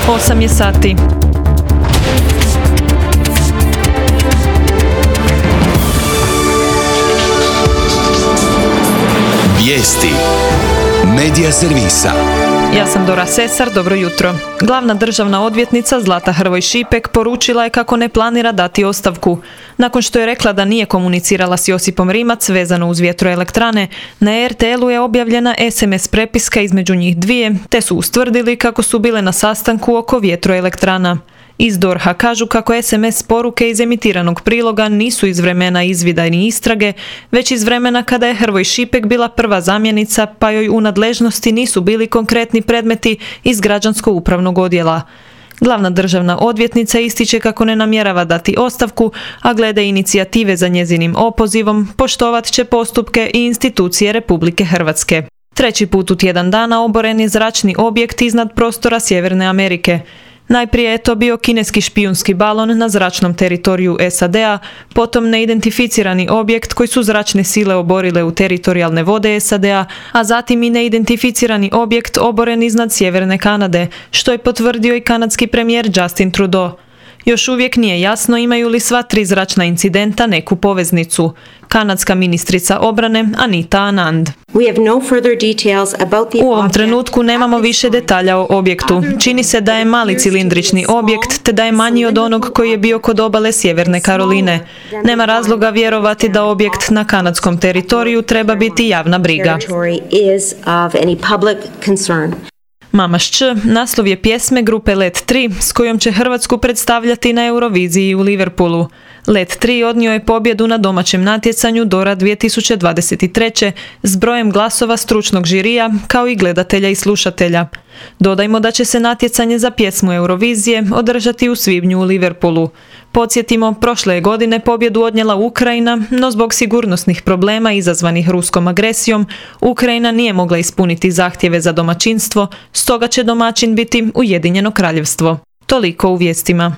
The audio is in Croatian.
8 je sati. Vijesti Medija servisa. Ja sam Dora Sesar, dobro jutro. Glavna državna odvjetnica Zlata Hrvoj Šipek poručila je kako ne planira dati ostavku. Nakon što je rekla da nije komunicirala s Josipom Rimac vezano uz vjetroelektrane, na RTL-u je objavljena SMS prepiska između njih dvije, te su ustvrdili kako su bile na sastanku oko vjetroelektrana. Iz DORH-a kažu kako SMS poruke iz emitiranog priloga nisu iz vremena izvida ni istrage, već iz vremena kada je Hrvoj Šipek bila prva zamjenica, pa joj u nadležnosti nisu bili konkretni predmeti iz građansko-upravnog odjela. Glavna državna odvjetnica ističe kako ne namjerava dati ostavku, a glede inicijative za njezinim opozivom poštovat će postupke i institucije Republike Hrvatske. Treći put u tjedan dana oboren je zračni objekt iznad prostora Sjeverne Amerike. Najprije je to bio kineski špijunski balon na zračnom teritoriju SAD-a, potom neidentificirani objekt koji su zračne sile oborile u teritorijalne vode SAD-a, a zatim i neidentificirani objekt oboren iznad Sjeverne Kanade, što je potvrdio i kanadski premijer Justin Trudeau. Još uvijek nije jasno imaju li sva tri zračna incidenta neku poveznicu. Kanadska ministrica obrane Anita Anand. U ovom trenutku nemamo više detalja o objektu. Čini se da je mali cilindrični objekt, te da je manji od onog koji je bio kod obale Sjeverne Karoline. Nema razloga vjerovati da objekt na kanadskom teritoriju treba biti javna briga. Mama Šč naslov je pjesme grupe Let 3 s kojom će Hrvatsku predstavljati na Euroviziji u Liverpoolu. Let 3 odnio je pobjedu na domaćem natjecanju Dora 2023. s brojem glasova stručnog žirija kao i gledatelja i slušatelja. Dodajmo da će se natjecanje za pjesmu Eurovizije održati u svibnju u Liverpoolu. Podsjetimo, prošle je godine pobjedu odnijela Ukrajina, no zbog sigurnosnih problema izazvanih ruskom agresijom, Ukrajina nije mogla ispuniti zahtjeve za domaćinstvo, stoga će domaćin biti Ujedinjeno Kraljevstvo. Toliko u vijestima.